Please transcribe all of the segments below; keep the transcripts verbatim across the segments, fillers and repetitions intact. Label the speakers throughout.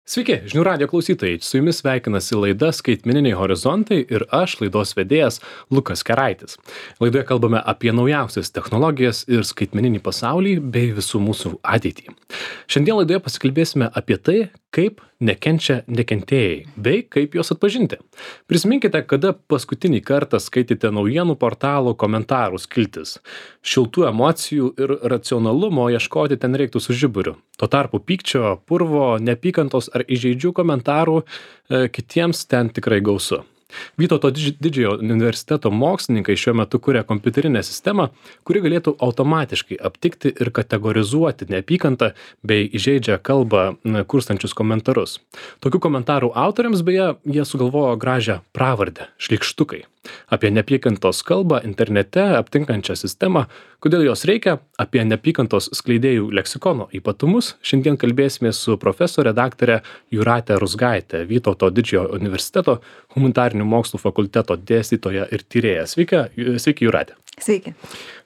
Speaker 1: Sveiki, žinių radio klausytojai, su jumis sveikinasi laida Skaitmeniniai horizontai ir aš, laidos vedėjas Lukas Keraitis. Laidoje kalbame apie naujausias technologijas ir skaitmeninį pasaulį bei visų mūsų ateitį. Šiandien laidoje pasikalbėsime apie tai, kaip nekenčia nekentėjai, bei kaip juos atpažinti. Prisiminkite, kada paskutinį kartą skaitėte naujienų portalų komentarų skiltis. Šiltų emocijų ir racionalumo ieškoti ten reiktų su žiburiu. Tuo tarpu pykčio, purvo, neapykantos ar įžeidžių komentarų e, kitiems ten tikrai gausu. Vytauto didžiojo universiteto mokslininkai šiuo metu kuria kompiuterinę sistemą, kuri galėtų automatiškai aptikti ir kategorizuoti neapykantą bei įžeidžią kalbą kurstančius komentarus. Tokių komentarų autoriams beje jie sugalvojo gražią pravardę – šlykštukai. Apie neapykantos kalbą internete aptinkančią sistemą, kodėl jos reikia, apie neapykantos skleidėjų leksikono ypatumus, šiandien kalbėsime su profesorė daktare Jūrate Ruzgaite, Vytauto didžiojo universiteto humanitarinių mokslų fakulteto dėstytoja ir tyrėja. Sveiki, sveiki Jūrate.
Speaker 2: Sveiki.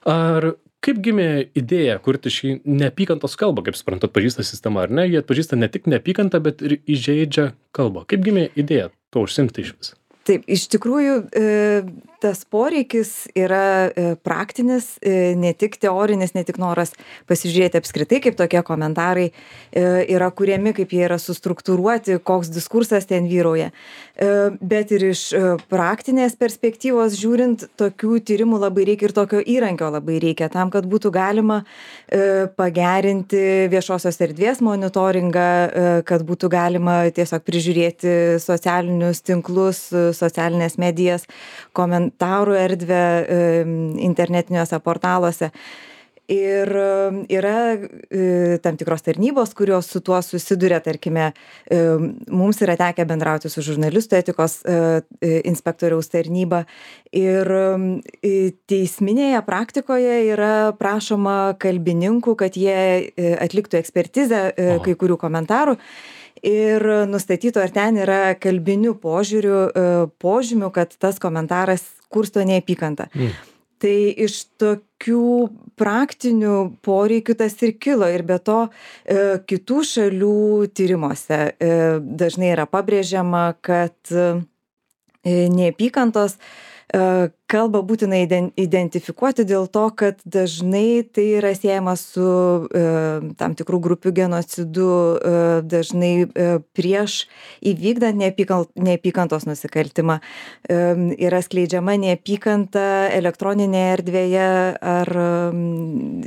Speaker 1: Ar kaip gimė idėja kurti šį neapykantos kalbą, kaip suprantu, atpažįsta sistema, ar ne? Jie atpažįsta ne tik neapykantą, bet ir įžeidžią kalbą. Kaip gimė idėja to užsimti iš vis?
Speaker 2: Taip, iš tikrųjų tas poreikis yra praktinis, ne tik teorinis, ne tik noras pasižiūrėti apskritai, kaip tokie komentarai yra kuriami, kaip jie yra sustruktūruoti, koks diskursas ten vyrauja. Bet ir iš praktinės perspektyvos žiūrint, tokių tyrimų labai reikia ir tokio įrankio labai reikia tam, kad būtų galima pagerinti viešosios erdvės monitoringą, kad būtų galima tiesiog prižiūrėti socialinius tinklus, socialinės medijas, komentarų erdvę internetiniuose portaluose. Ir yra tam tikros tarnybos, kurios su tuo susiduria, tarkime, mums yra tekę bendrauti su žurnalistų etikos inspektoriaus tarnyba. Ir teisminėje praktikoje yra prašoma kalbininkų, kad jie atliktų ekspertizę kai kurių komentarų. Ir nustatyto, ar ten yra kalbinių požiūrių, požymių, kad tas komentaras kursto neapykantą. Mm. Tai iš tokių praktinių poreikių tas ir kilo. Ir be to e, kitų šalių tyrimuose e, dažnai yra pabrėžiama, kad e, neapykantos e, kalbą būtina identifikuoti dėl to, kad dažnai tai yra siejama su e, tam tikrų grupių genocidu, e, dažnai e, prieš įvykdant neapykantos nusikaltimą. E, yra skleidžiama neapykanta elektroninėje erdvėje ar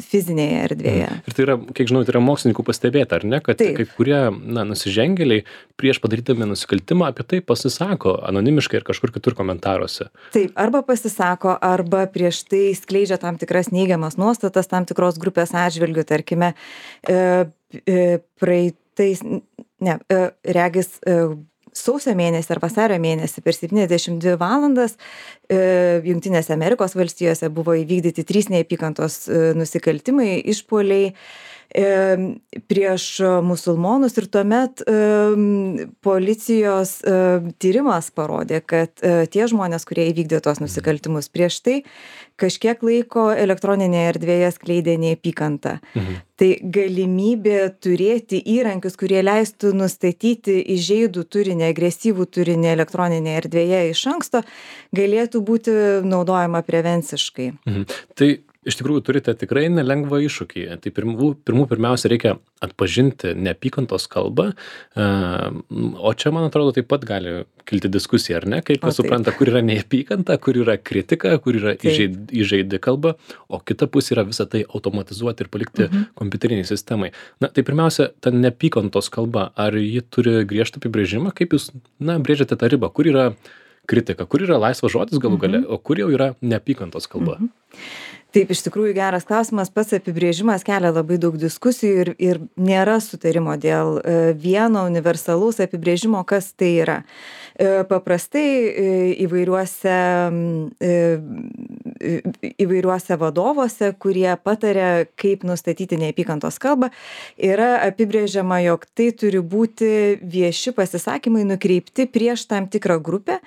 Speaker 2: fizinėje erdvėje.
Speaker 1: Ir tai yra, kiek žinau, tai yra mokslininkų pastebėta, ar ne, kad Taip. Kai kurie na, nusižengėliai prieš padarydami nusikaltimą apie tai pasisako anonimiškai ir kažkur kitur komentaruose.
Speaker 2: Taip, arba pasisako sako, arba prieš tai skleidžia tam tikras neigiamas nuostatas tam tikros grupės atžvilgių, tarkime, e, e, praeitais, ne, e, regis e, sausio mėnesį ar vasario mėnesį per septyniasdešimt dvi valandas e, Jungtinėse Amerikos valstijose buvo įvykdyti trys neapykantos e, nusikaltimai, išpuoliai prieš musulmonus ir tuomet e, policijos e, tyrimas parodė, kad e, tie žmonės, kurie įvykdė tos nusikaltimus prieš tai, kažkiek laiko elektroninėje erdvėje skleidė neapykantą. Mhm. Tai galimybė turėti įrankius, kurie leistų nustatyti įžeidų turinį, agresyvų turinį elektroninėje erdvėje iš anksto, galėtų būti naudojama prevenciškai.
Speaker 1: Mhm. Tai iš tikrųjų turite tikrai nelengvą iššūkį. Tai pirmų, pirmų pirmiausia reikia atpažinti neapykantos kalbą, o čia, man atrodo, taip pat gali kilti diskusija, ar ne? Kaip kas supranta, kur yra neapykanta, kur yra kritika, kur yra įžeid, įžeidi kalba, o kita pusė yra visą tai automatizuoti ir palikti mhm. kompiuteriniai sistemai. Na, tai pirmiausia, ta neapykantos kalba, ar ji turi griežtą apibrėžimą, kaip jūs, na, brėžiate tą ribą, kur yra kritika, kur yra laisvas žodis galų gale, mhm. o kur jau yra neapykantos kalba?
Speaker 2: Mhm. Taip, iš tikrųjų geras klausimas, pats apibrėžimas kelia labai daug diskusijų ir, ir nėra sutarimo dėl vieno universalaus apibrėžimo, kas tai yra. Paprastai įvairiuose įvairiuose vadovuose, kurie pataria, kaip nustatyti neapykantos kalbą, yra apibrėžiama, jog tai turi būti vieši pasisakymai nukreipti prieš tam tikrą grupę,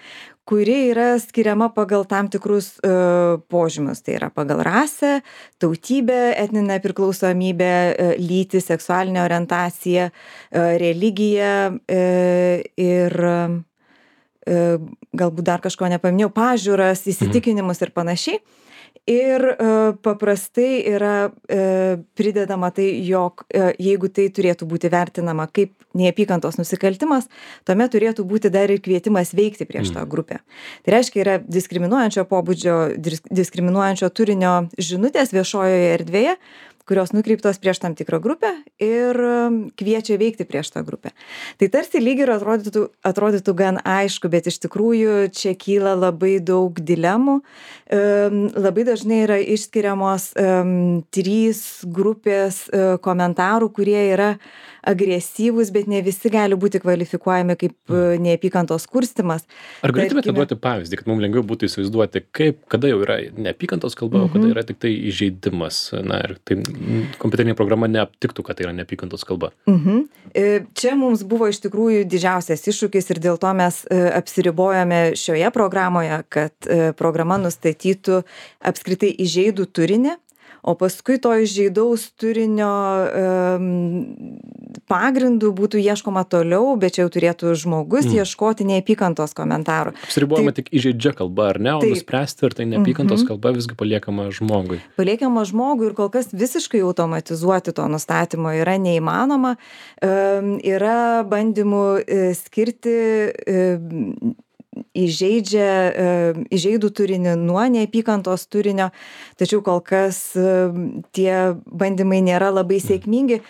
Speaker 2: kuri yra skiriama pagal tam tikrus e, požymius. Tai yra pagal rasę, tautybę, etninę priklausomybę, e, lytį, seksualinę orientaciją, e, religiją e, ir e, galbūt dar kažko nepaminėjau, pažiūras, įsitikinimus ir panašiai. Ir e, paprastai yra e, pridedama tai, jog e, jeigu tai turėtų būti vertinama kaip neapykantos nusikaltimas, tuomet turėtų būti dar ir kvietimas veikti prieš tą grupę. Tai reiškia, yra diskriminuojančio pobūdžio, diskriminuojančio turinio žinutės viešojoje erdvėje, kurios nukreiptos prieš tam tikrą grupę ir kviečia veikti prieš tą grupę. Tai tarsi lyg ir atrodytų, atrodytų gan aišku, bet iš tikrųjų čia kyla labai daug dilemų. Labai dažnai yra išskiriamos um, trys grupės uh, komentarų, kurie yra agresyvūs, bet ne visi gali būti kvalifikuojami kaip uh, neapykantos kurstymas.
Speaker 1: Ar galėtumėte duoti pavyzdį, kad mums lengviau būtų įsivaizduoti, kaip, kada jau yra neapykantos kalba, o kada yra tik tai įžeidimas? Na, ir tai kompiuterinė programa neaptiktų, kad tai yra neapykantos kalba.
Speaker 2: Mhm. Čia mums buvo iš tikrųjų didžiausias iššūkis ir dėl to mes apsiribojame šioje programoje, kad programa nustatytų apskritai įžeidų turinį, o paskui to įžeidaus turinio um, pagrindų būtų ieškoma toliau, bet čia jau turėtų žmogus mm. ieškoti neapykantos komentarų.
Speaker 1: Apsiribojama tik įžeidžia kalba, ar ne, o taip. Nuspręsti, ar tai neapykantos mm-hmm. kalba visgi paliekama žmogui.
Speaker 2: Paliekama žmogui ir kol kas visiškai automatizuoti to nustatymo yra neįmanoma. Um, yra bandymų uh, skirti uh, įžeidžia, įžeidų turinį nuo neapykantos turinio, tačiau kol kas tie bandymai nėra labai sėkmingi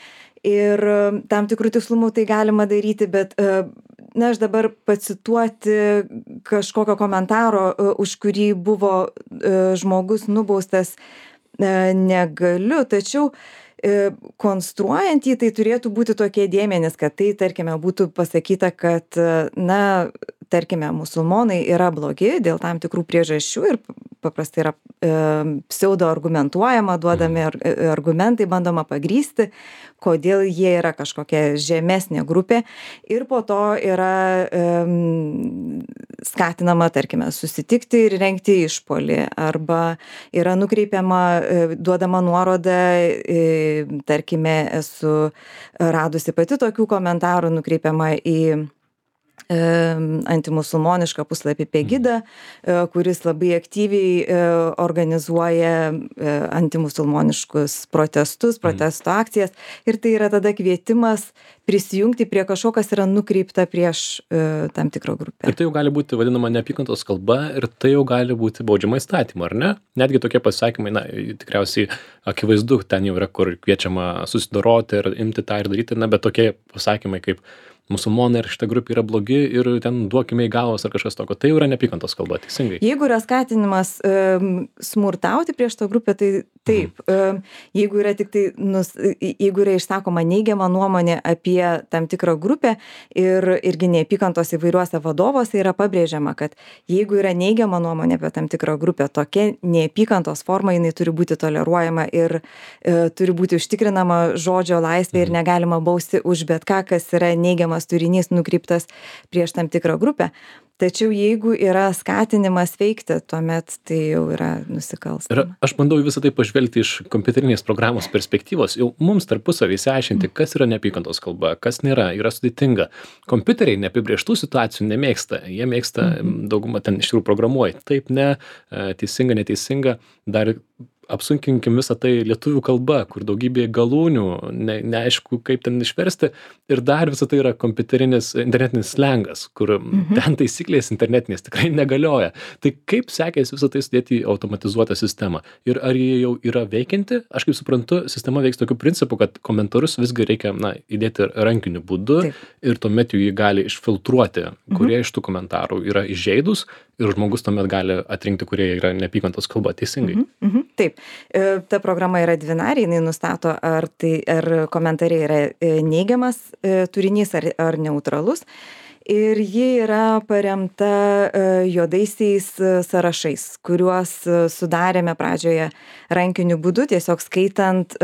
Speaker 2: ir tam tikrų tikslumų tai galima daryti, bet na, aš dabar pacituoti kažkokio komentaro, už kurį buvo žmogus nubaustas, negaliu, tačiau konstruojant jį, tai turėtų būti tokie dėmenys, kad tai, tarkime, būtų pasakyta, kad, na, tarkime, musulmonai yra blogi dėl tam tikrų priežasčių ir paprastai yra e, pseudo argumentuojama, duodami ar, argumentai, bandoma pagrysti, kodėl jie yra kažkokia žemesnė grupė ir po to yra e, skatinama, tarkime, susitikti ir rengti išpuolį arba yra nukreipiama, e, duodama nuoroda, e, tarkime, esu radusi pati tokių komentarų, nukreipiama į antimusulmonišką puslapį Pegida, kuris labai aktyviai organizuoja antimusulmoniškus protestus, protesto akcijas ir tai yra tada kvietimas prisijungti prie kažko, kas yra nukreipta prieš tam tikrą grupę.
Speaker 1: Ir tai jau gali būti vadinama neapykantos kalba ir tai jau gali būti baudžiama įstatymu, ar ne? Netgi tokie pasakymai, na, tikriausiai akivaizdu, ten jau yra, kur kviečiama susidoroti ir imti tą ir daryti, na, bet tokie pasakymai kaip musulmonai ir šita grupė yra blogi ir ten duokime į galvas ar kažkas tokio. Tai jau yra neapykantos kalba, teisingai.
Speaker 2: Jeigu yra skatinimas um, smurtauti prieš tą grupę, tai taip. Um, jeigu yra tik tai, nus, jeigu yra išsakoma neigiama nuomonė apie tam tikrą grupę ir irgi neapykantos įvairiuose vadovuose yra pabrėžiama, kad jeigu yra neigiama nuomonė apie tam tikrą grupę, tokia neapykantos forma, jinai turi būti toleruojama ir e, turi būti užtikrinama žodžio laisvė ir negalima bausti už bet ką, kas yra neigiamas turinys nukreiptas prieš tam tikrą grupę. Tačiau jeigu yra skatinimas veikti, tuomet tai jau yra nusikalstama.
Speaker 1: Ir aš bandau visą tai pažvelgti iš kompiuterinės programos perspektyvos. Jau mums tarpusavį išsiaiškinti, kas yra neapykantos kalba, kas nėra, yra sudėtinga. Kompiuteriai neapibrėžtų situacijų nemėgsta. Jie mėgsta, daugumą ten iš tikrųjų programuoja. Taip, ne, teisinga, neteisinga. Dar apsunkinkim visą tai lietuvių kalba, kur daugybė galūnių, ne, neaišku, kaip ten išversti. Ir dar visą tai yra kompiuterinis, internetinis slengas, kur mhm. ten taisyklės internetinės tikrai negalioja. Tai kaip sekėsi visą tai sudėti į automatizuotą sistemą? Ir ar jie jau yra veikianti? Aš kaip suprantu, sistema veiks tokiu principu, kad komentarus visgi reikia, na, įdėti rankiniu būdu. Taip. Ir tuomet jų jį gali išfiltruoti, kurie mhm. iš tų komentarų yra įžeidus ir žmogus tuomet gali atrinkti, kurie yra neapykantos kalba, teisingai.
Speaker 2: Mhm. Mhm. Taip. Ta programa yra dvinarė, jinai nustato, ar, tai, ar komentariai yra neigiamas turinys ar, ar neutralus. ir ji yra paremta juodaisiais sąrašais, kuriuos sudarėme pradžioje rankiniu būdu, tiesiog skaitant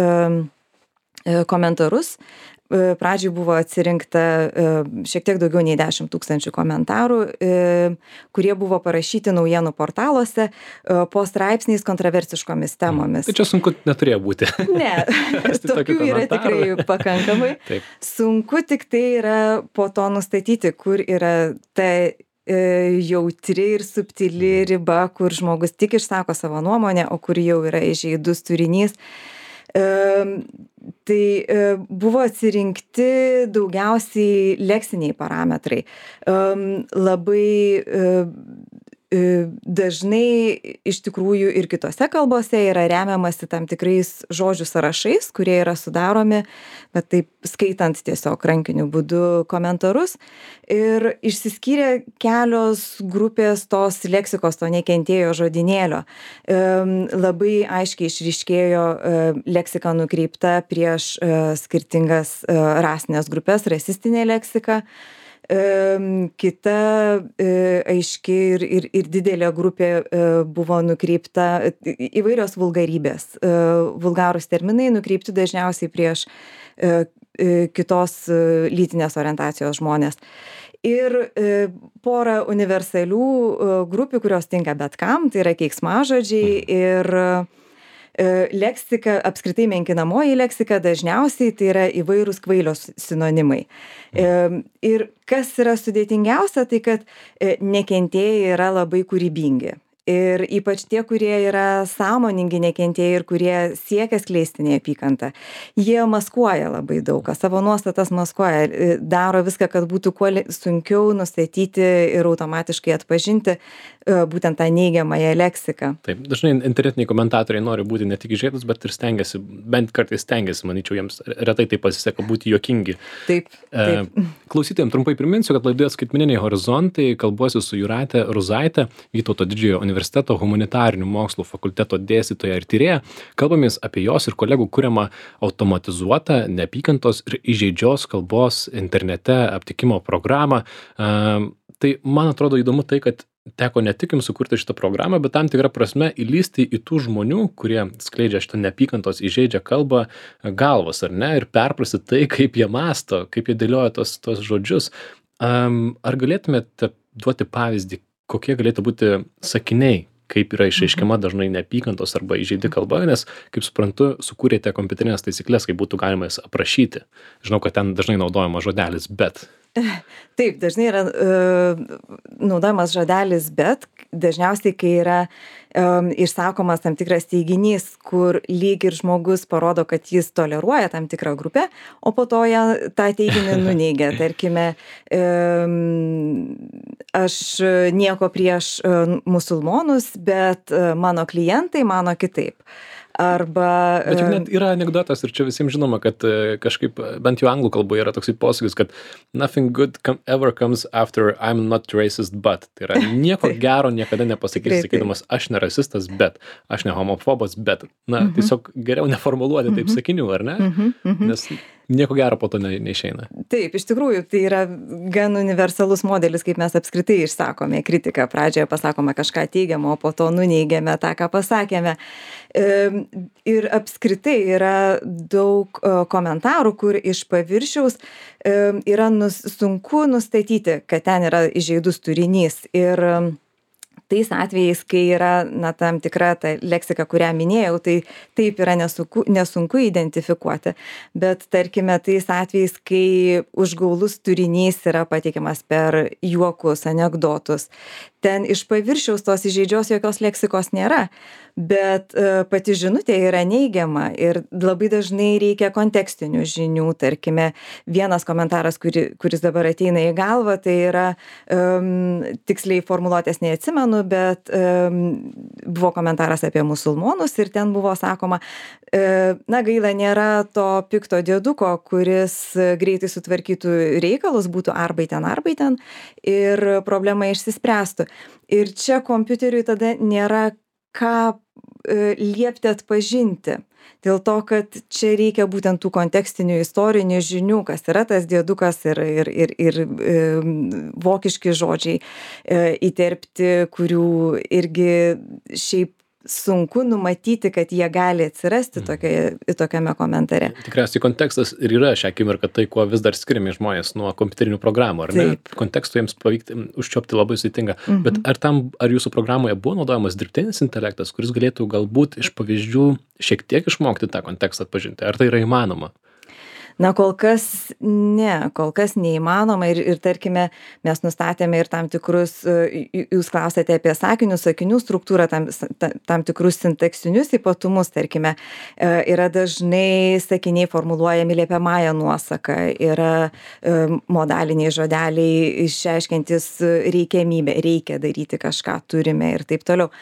Speaker 2: komentarus. Pradžiai buvo atsirinkta šiek tiek daugiau nei dešimt tūkstančių komentarų, kurie buvo parašyti naujienų portaluose po straipsniais kontroversiškomis temomis.
Speaker 1: Tai čia sunku neturėjo būti.
Speaker 2: Ne, tokių yra tikrai pakankamai. Taip. Sunku tik tai yra po to nustatyti, kur yra ta jautri ir subtili riba, kur žmogus tik išsako savo nuomonę, o kur jau yra įžeidus turinys. Tai buvo atsirinkti daugiausiai leksiniai parametrai. Labai dažnai iš tikrųjų ir kitose kalbose yra remiamasi tam tikrais žodžių sąrašais, kurie yra sudaromi, bet taip skaitant tiesiog rankiniu būdu komentarus. Ir išsiskyrė kelios grupės tos leksikos, to nekentėjo žodynėlio. Labai aiškiai išryškėjo leksika nukreipta prieš skirtingas rasinės grupės, rasistinė leksika. Kita aiški ir, ir, ir didelė grupė buvo nukreipta įvairios vulgarybės. Vulgarūs terminai nukreipti dažniausiai prieš kitos lytinės orientacijos žmonės. Ir pora universalių grupių, kurios tinka bet kam, tai yra keiksmažodžiai ir leksika, apskritai menkinamoji leksika, dažniausiai tai yra įvairūs kvailios sinonimai. Ir kas yra sudėtingiausia, tai kad nekentėjai yra labai kūrybingi. Ir ypač tie, kurie yra sąmoningi nekentėjai ir kurie siekia skleisti neapykantą, jie maskuoja labai daug, savo nuostatas maskuoja, daro viską, kad būtų kuo sunkiau nustatyti ir automatiškai atpažinti būtent tą neigiamąją leksiką.
Speaker 1: Taip, dažnai internetiniai komentatoriai nori būti ne tik įžeidus, bet ir stengiasi, bent kartais stengiasi, manyčiau, jiems retai tai pasiseka būti juokingi.
Speaker 2: Taip, taip.
Speaker 1: Klausytojams trumpai priminsiu, kad laidoje Skaitmeniniai horizontai kalbuosi su Jūrate Ruzaite, Vytauto Didžiojo universiteto humanitarinių mokslų fakulteto dėstytoja ir tyrėja. Kalbamės apie jos ir kolegų kuriamą automatizuotą neapykantos ir įžeidžios kalbos internete aptikimo programą. Tai man atrodo įdomu tai, kad teko ne tik jums sukurti šitą programą, bet tam tikrą prasme įlysti į tų žmonių, kurie skleidžia šitą neapykantos įžeidžią kalbą galvas, ar ne, ir perprasti tai, kaip jie mąsto, kaip jie dėlioja tos, tos žodžius. Um, ar galėtumėte duoti pavyzdį, kokie galėtų būti sakiniai, kaip yra išreiškiama dažnai neapykantos arba įžeidi kalba, nes, kaip suprantu, sukūrėte kompiuterinės taisyklės, kaip būtų galima jas aprašyti. Žinau, kad ten dažnai naudojama žodelis bet.
Speaker 2: Taip, dažnai yra uh, naudojamas žodelis bet, dažniausiai, kai yra um, išsakomas tam tikras teiginys, kur lyg ir žmogus parodo, kad jis toleruoja tam tikrą grupę, o po to ją tą teiginį nuneigia. Tarkime, um, aš nieko prieš uh, musulmonus, bet uh, mano klientai mano kitaip. Arba...
Speaker 1: Bet juk net yra anekdotas ir čia visiems žinoma, kad kažkaip, bent jau anglų kalboje yra toksai posakis, kad nothing good come, ever comes after I'm not racist, but. Tai yra nieko gero niekada nepasakys, sakydamas, aš ne rasistas, bet, aš ne homofobas, bet. Na, mhm. tiesiog geriau neformuluoti taip sakinių, ar ne? Mhm. Mhm. Nes nieko gero po to ne, neišeina.
Speaker 2: Taip, iš tikrųjų, tai yra gan universalus modelis, kaip mes apskritai išsakome kritiką. Pradžioje pasakome kažką teigiamo, o po to nuneigiame tą, ką pasakėme. Ir apskritai yra daug komentarų, kur iš paviršiaus yra nus, sunku nustatyti, kad ten yra įžeidus turinys. Ir tais atvejais, kai yra na, tam tikra ta leksika, kurią minėjau, tai taip yra nesunku, nesunku identifikuoti. Bet tarkime, tais atvejais, kai užgaulus turinys yra pateikiamas per juokus, anekdotus, ten iš paviršiaus tos įžeidžios jokios leksikos nėra, bet uh, pati žinutė yra neigiama ir labai dažnai reikia kontekstinių žinių. Tarkime, vienas komentaras, kuri, kuris dabar ateina į galvą, tai yra um, tiksliai formuluotės neatsimenu, bet um, buvo komentaras apie musulmonus ir ten buvo sakoma, uh, na gaila, nėra to pikto dieduko, kuris greitai sutvarkytų reikalus, būtų arbaiten arbaiten ir problema išsispręstų. Ir čia kompiuteriui tada nėra ką e, liepti atpažinti. dėl to, kad čia reikia būtent tų kontekstinių istorinių žinių, kas yra tas diedukas ir, ir, ir, ir e, vokiški žodžiai e, įterpti, kurių irgi šiaip sunku numatyti, kad jie gali atsirasti tokioje, tokiame komentare.
Speaker 1: Tikriausiai kontekstas ir yra šią akimirką tai, kuo vis dar skiriami žmonės nuo kompiuterinių programų, ar ne?
Speaker 2: Taip.
Speaker 1: Kontekstu jiems pavykti užčiuopti labai sudėtinga. Mhm. Bet ar tam, ar jūsų programoje buvo naudojamas dirbtinis intelektas, kuris galėtų galbūt iš pavyzdžių šiek tiek išmokti tą kontekstą atpažinti? Ar tai yra įmanoma?
Speaker 2: Na, kol kas ne, kol kas neįmanoma ir, ir tarkime, mes nustatėme ir tam tikrus, jūs klausėte apie sakinių, sakinių struktūrą, tam, tam tikrus sintaksinius ypatumus, tarkime, yra dažnai sakiniai formuluojami liepiamąja nuosaka, yra modaliniai žodeliai išreiškiantis reikiamybę, reikia daryti kažką, turime ir taip toliau.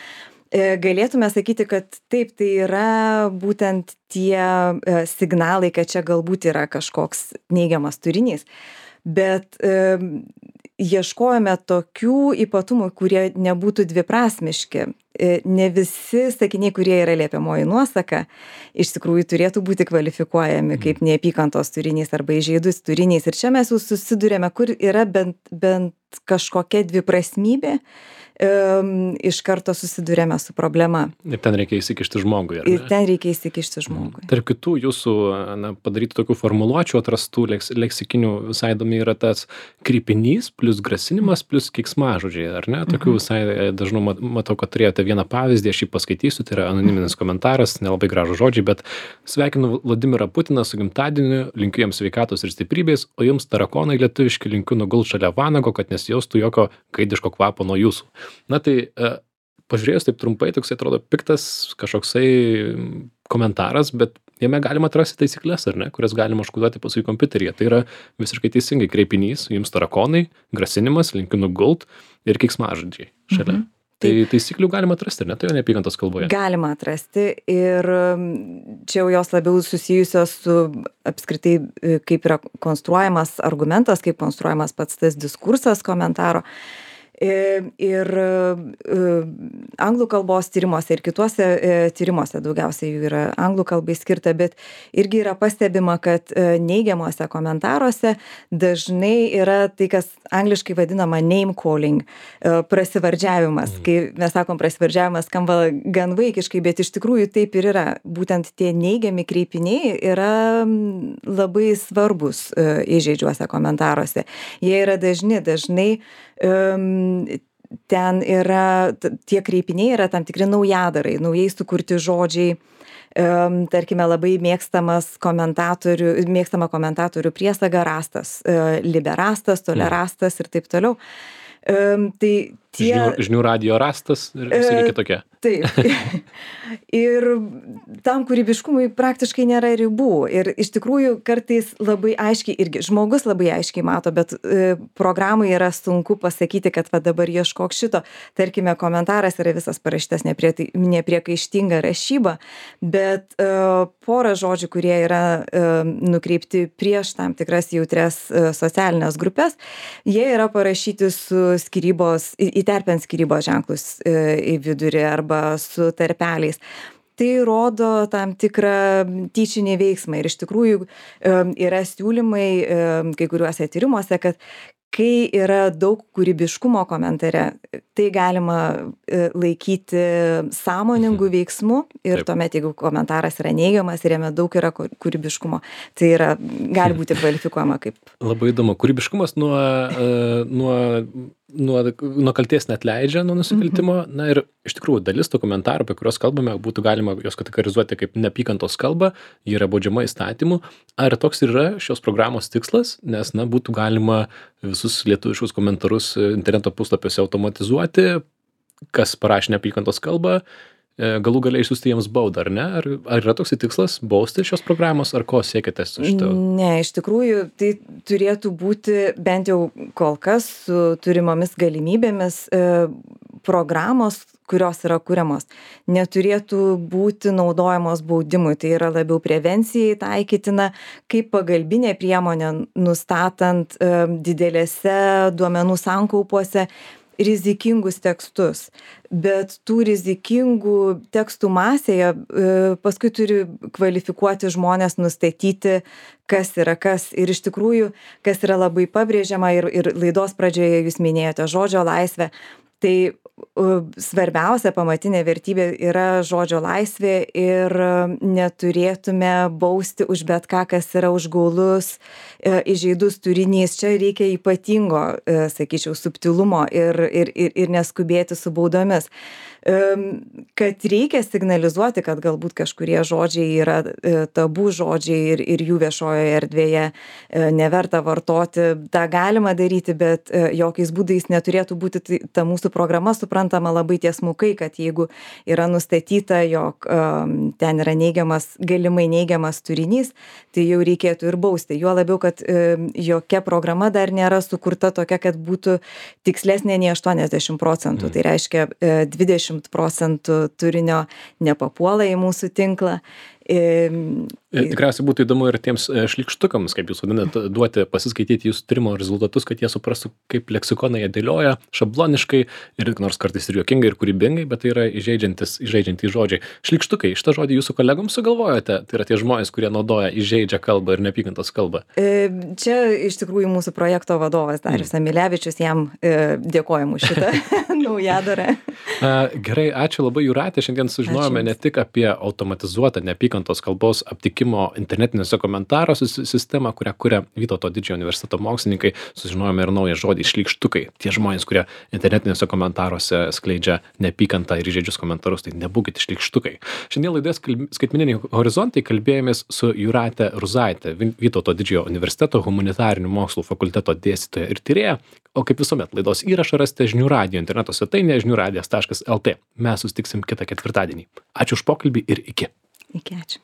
Speaker 2: Galėtume sakyti, kad taip, tai yra būtent tie signalai, kad čia galbūt yra kažkoks neigiamas turinys, bet e, ieškojame tokių ypatumų, kurie nebūtų dviprasmiški. E, ne visi sakiniai, kurie yra liepiamoji nuosaka, iš tikrųjų turėtų būti kvalifikuojami kaip neapykantos turinys arba įžeidus turinys. Ir čia mes jau susidurėme, kur yra bent, bent kažkokia dviprasmybė, iš karto susidurėme su problema.
Speaker 1: Ir ten reikia įsikišti žmogui, ar ne?
Speaker 2: Ir ten reikia įsikišti žmogui.
Speaker 1: Tarp kitų jūsų na, padaryti tokių formuluočių atrastų leks, leksikinių visai įdomi yra tas krypinys plus grasinimas plus keiksmažodžiai, ar ne? Tokių visai dažnai matau, kad turėjote vieną pavyzdį, aš jį paskaitysiu, tai yra anoniminis komentaras, nelabai gražų žodžiai, bet sveikinu Vladimirą Putiną su gimtadieniu, linkiu jiems sveikatos ir stiprybės, o jums tarakonai lietuviški linkiu nugult šalia vanago, kad nesijaustų jokio gaidiško kvapo nuo jūsų. Na tai, pažiūrėjus taip trumpai, toks atrodo piktas kažkoksai komentaras, bet jame galima atrasti taisyklės, ar ne, kurias galima užkoduoti paskui kompiuteryje. Tai yra visiškai teisingai kreipinys, jums tarakonai, grasinimas, linkiu nugult ir keiksmažodžiai šalia. Mhm. Tai taisyklių galima atrasti, ar ne? Tai jau neapykantos kalboje.
Speaker 2: Galima atrasti ir čia jau jos labiau susijusios su apskritai, kaip yra konstruojamas argumentas, kaip konstruojamas pats tas diskursas komentaro. Ir anglų kalbos tyrimuose ir kituose tyrimuose, daugiausiai jų yra anglų kalbai skirta, bet irgi yra pastebima, kad neigiamuose komentaruose dažnai yra tai, kas angliškai vadinama name calling, prasivardžiavimas. Kai mes sakom prasivardžiavimas, skamba gan vaikiškai, bet iš tikrųjų taip ir yra. Būtent tie neigiami kreipiniai yra labai svarbus įžeidžiuose komentaruose. Jie yra dažni, dažnai ten yra, tie kreipiniai yra tam tikri naujadarai, naujai sukurti žodžiai, tarkime, labai mėgstamas komentatorių, mėgstama komentatorių priesaga rastas, liberastas, tolerastas ir taip toliau. Tai tie...
Speaker 1: Žinių, žinių radijo rastas ir visi kitokie.
Speaker 2: Taip. Ir tam kūrybiškumui praktiškai nėra ribų. Ir iš tikrųjų kartais labai aiškiai, irgi žmogus labai aiškiai mato, bet e, programai yra sunku pasakyti, kad va dabar ieškok šito. Tarkime, komentaras yra visas parašytas neprie, nepriekaištinga rašyba, bet e, pora žodžių, kurie yra e, nukreipti prieš tam tikras jautrias e, socialinės grupės, jie yra parašyti su skyrybos, įterpiant skyrybos ženklus e, į vidurį arba su tarpeliais. Tai rodo tam tikrą tyčinį veiksmą ir iš tikrųjų yra siūlymai kai kuriuose tyrimuose, kad kai yra daug kūrybiškumo komentare, tai galima laikyti sąmoningų veiksmų ir Taip. Tuomet, jeigu komentaras yra neigiamas ir jame daug yra kūrybiškumo, tai yra, gali būti kvalifikuojama kaip.
Speaker 1: Labai įdomu. Kūrybiškumas nuo, nuo, nuo, nuo kalties net leidžia nuo nusikaltimo. Mhm. Na ir iš tikrųjų dalis tų komentarų, apie kuriuos kalbame, būtų galima jos kategorizuoti kaip neapykantos kalba, ji yra baudžiama įstatymu. Ar toks ir yra šios programos tikslas, nes, na, būtų galima visus lietuviškus komentarus interneto puslapiuose automatizuoti, kas parašė neapykantos kalbą, galų galiai išsiųsti jiems baudą, ar ne? Ar, ar yra toks tikslas bausti šios programos, ar ko siekite su šito?
Speaker 2: Ne, iš tikrųjų, tai turėtų būti bent jau kol kas su turimomis galimybėmis e, programos, kurios yra kuriamos, neturėtų būti naudojamos baudimui. Tai yra labiau prevencijai taikytina, kaip pagalbinė priemonė, nustatant e, didelėse duomenų sankaupuose rizikingus tekstus. bet tų rizikingų tekstų masėje paskui turi kvalifikuoti žmonės, nustatyti, kas yra kas. Ir iš tikrųjų, kas yra labai pabrėžiama ir, ir laidos pradžioje jūs minėjote žodžio laisvę, tai svarbiausia pamatinė vertybė yra žodžio laisvė ir neturėtume bausti už bet ką, kas yra užgaulus, įžeidus turinys. Čia reikia ypatingo, sakyčiau, subtilumo ir, ir, ir, ir neskubėti su baudomis. Kad reikia signalizuoti, kad galbūt kažkurie žodžiai yra tabų žodžiai ir, ir jų viešojoje erdvėje neverta vartoti, tą galima daryti, bet jokiais būdais neturėtų būti ta mūsų programa suprantama labai tiesmukai, kad jeigu yra nustatyta, jog um, ten yra neigiamas, galimai neigiamas turinys, tai jau reikėtų ir bausti. Juo labiau, kad um, jokia programa dar nėra sukurta tokia, kad būtų tikslesnė nei aštuoniasdešimt procentų. Mm. Tai reiškia uh, dvidešimt procentų turinio nepapuola į mūsų tinklą. Um,
Speaker 1: Tikriausiai būtų įdomu ir tiems šlykštukams, kaip jūs vadinat, duoti pasiskaityti jūsų tyrimo rezultatus, kad jie suprastų, kaip leksikoną jie dėlioja šabloniškai ir nors kartais ir juokingai ir kūrybingai, bet tai yra įžeidžiantis, įžeidžiantys žodžiai. Šlykštukai, šitą žodį jūsų kolegoms sugalvojote? Tai yra tie žmonės, kurie naudoja įžeidžią kalbą ir neapykantos kalbą.
Speaker 2: Čia iš tikrųjų mūsų projekto vadovas Darius Amilevičius, jam dėkojam už šitą naujadarą.
Speaker 1: Gerai, ačiū labai, Jūrate. Šiandien sužinojome ačiū. Ne tik apie automatizuotą neapykantos kalbos aptikimą internetiniuose komentaruose sistemą, kurią kuria Vytauto didžiojo universiteto mokslininkai, sužinojome ir naują žodį šlykštukai. Tie žmonės, kurie internetiniuose komentaruose skleidžia neapykantą ir įžeidžius komentarus, tai nebūkite šlykštukai. Šiandien laidoje Skaitmeniniai horizontai kalbėjomės su Jūrate Ruzaite, Vytauto didžiojo universiteto humanitarinių mokslų fakulteto dėstytoja ir tyrėja. O kaip visuomet, laidos įrašą rasite žinių radijo interneto svetainėje žinių radijas taškas lt. Mes susitiksim kitą ketvirtadienį. Ačiū už pokalbį ir iki.
Speaker 2: Iki, ačiū.